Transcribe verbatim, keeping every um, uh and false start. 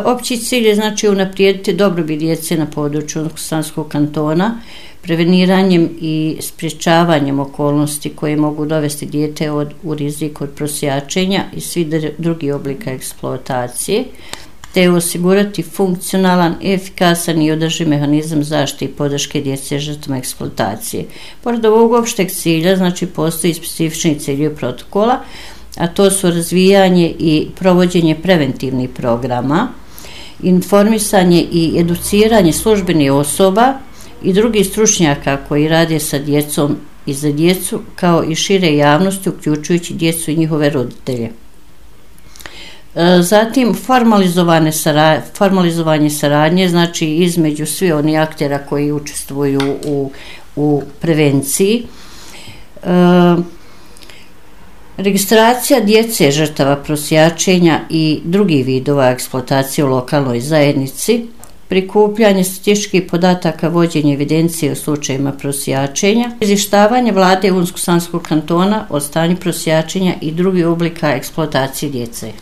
Opći cilj je znači unaprijediti dobrobit djece na području Unsko-sanskog kantona, preveniranjem i sprječavanjem okolnosti koje mogu dovesti dijete od, u rizik od prosjačenja i svih drugih oblika eksploatacije, te osigurati funkcionalan, efikasan i održiv mehanizam zaštite i podrške djece žrtvama eksploatacije. Pored ovog opšteg cilja, znači postoji specifični ciljevi protokola, a to su razvijanje i provođenje preventivnih programa, informisanje i educiranje službenih osoba i drugih stručnjaka koji rade sa djecom i za djecu, kao i šire javnosti, uključujući djecu i njihove roditelje. Zatim formalizovane saradnje, formalizovanje saradnje, znači između svi oni aktera koji učestvuju u, u prevenciji. E, registracija djece žrtava prosjačenja i drugih vidova eksploatacije u lokalnoj zajednici, prikupljanje statističkih podataka, vođenje evidencije u slučajima prosjačenja, izvještavanje vlade Unsko-sanskog kantona o stanju prosjačenja i drugih oblika eksploatacije djece.